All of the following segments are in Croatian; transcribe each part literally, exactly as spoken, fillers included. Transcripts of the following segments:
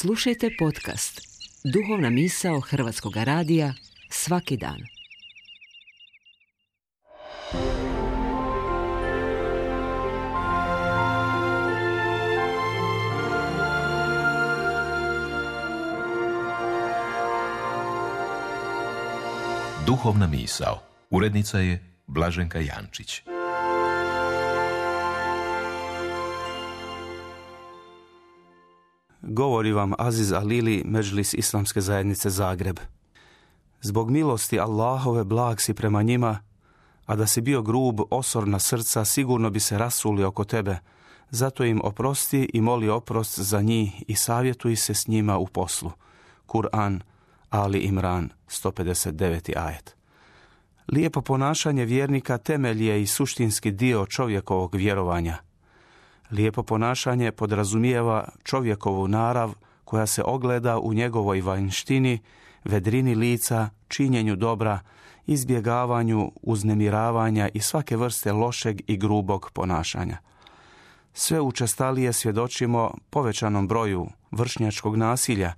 Slušajte podcast Duhovna misao Hrvatskog radija svaki dan. Duhovna misao. Urednica je Blaženka Jančić. Govori vam Aziz Alili, Medžlis Islamske zajednice Zagreb. Zbog milosti Allahove blag si prema njima, a da si bio grub, osorna srca, sigurno bi se rasuli oko tebe. Zato im oprosti i moli oprost za njih i savjetuj se s njima u poslu. Kur'an, Ali Imran, sto pedeset deveti ajet. Lijepo ponašanje vjernika temelj je i suštinski dio čovjekovog vjerovanja. Lijepo ponašanje podrazumijeva čovjekovu narav koja se ogleda u njegovoj vanjštini, vedrini lica, činjenju dobra, izbjegavanju uznemiravanja i svake vrste lošeg i grubog ponašanja. Sve učestalije svjedočimo povećanom broju vršnjačkog nasilja.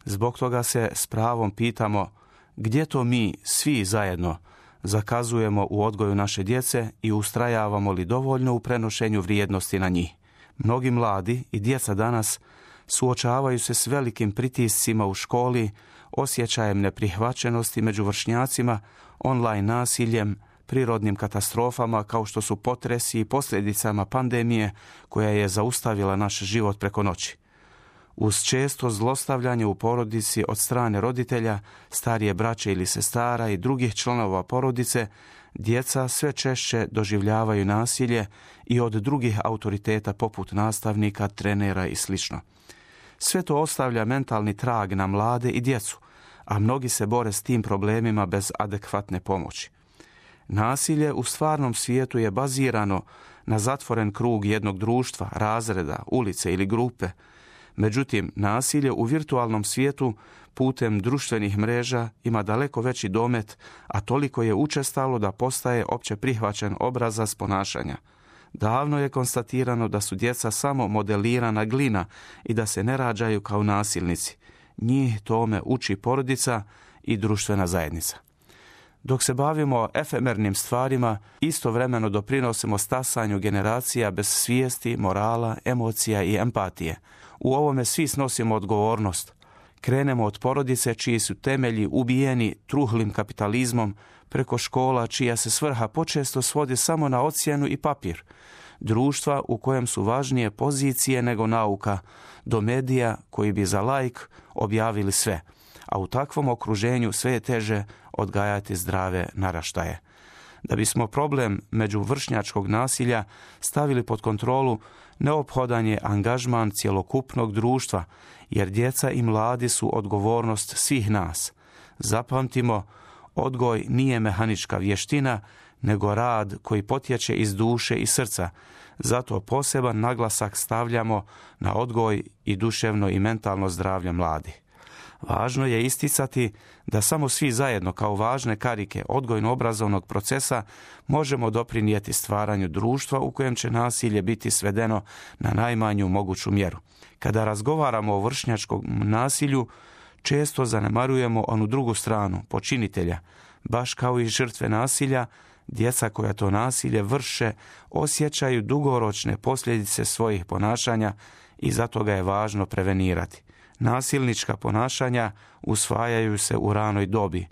Zbog toga se s pravom pitamo gdje to mi svi zajedno zakazujemo u odgoju naše djece i ustrajavamo li dovoljno u prenošenju vrijednosti na njih. Mnogi mladi i djeca danas suočavaju se s velikim pritiscima u školi, osjećajem neprihvaćenosti među vršnjacima, online nasiljem, prirodnim katastrofama kao što su potresi i posljedicama pandemije koja je zaustavila naš život preko noći. Uz često zlostavljanje u porodici od strane roditelja, starije braće ili sestara i drugih članova porodice, djeca sve češće doživljavaju nasilje i od drugih autoriteta poput nastavnika, trenera i sl. Sve to ostavlja mentalni trag na mlade i djecu, a mnogi se bore s tim problemima bez adekvatne pomoći. Nasilje u stvarnom svijetu je bazirano na zatvoren krug jednog društva, razreda, ulice ili grupe. Međutim, nasilje u virtualnom svijetu putem društvenih mreža ima daleko veći domet, a toliko je učestalo da postaje opće prihvaćen obrazac ponašanja. Davno je konstatirano da su djeca samo modelirana glina i da se ne rađaju kao nasilnici. Njih tome uči porodica i društvena zajednica. Dok se bavimo efemernim stvarima, istovremeno doprinosimo stasanju generacija bez svijesti, morala, emocija i empatije. U ovome svi snosimo odgovornost. Krenemo od porodice čiji su temelji ubijeni truhlim kapitalizmom, preko škola čija se svrha počesto svodi samo na ocjenu i papir, društva u kojem su važnije pozicije nego nauka, do medija koji bi za laik objavili sve, a u takvom okruženju sve je teže odgajati zdrave naraštaje. Da bismo problem međuvršnjačkog nasilja stavili pod kontrolu, neophodan je angažman cjelokupnog društva, jer djeca i mladi su odgovornost svih nas. Zapamtimo, odgoj nije mehanička vještina, nego rad koji potječe iz duše i srca. Zato poseban naglasak stavljamo na odgoj i duševno i mentalno zdravlje mladih. Važno je isticati da samo svi zajedno kao važne karike odgojno-obrazovnog procesa možemo doprinijeti stvaranju društva u kojem će nasilje biti svedeno na najmanju moguću mjeru. Kada razgovaramo o vršnjačkom nasilju, često zanemarujemo onu drugu stranu, počinitelja. Baš kao i žrtve nasilja, djeca koja to nasilje vrše osjećaju dugoročne posljedice svojih ponašanja i zato ga je važno prevenirati. Nasilnička ponašanja usvajaju se u ranoj dobi,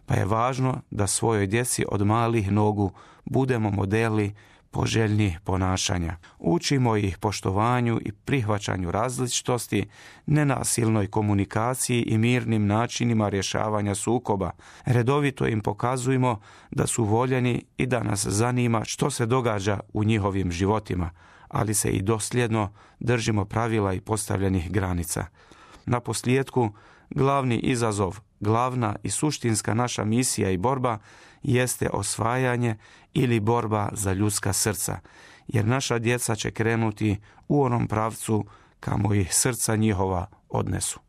pa je važno da svojoj djeci od malih nogu budemo modeli poželjnih ponašanja. Učimo ih poštovanju i prihvaćanju različitosti, nenasilnoj komunikaciji i mirnim načinima rješavanja sukoba. Redovito im pokazujemo da su voljeni i da nas zanima što se događa u njihovim životima, ali se i dosljedno držimo pravila i postavljenih granica. Na posljedku, glavni izazov, glavna i suštinska naša misija i borba jeste osvajanje ili borba za ljudska srca, jer naša djeca će krenuti u onom pravcu kamo ih srca njihova odnesu.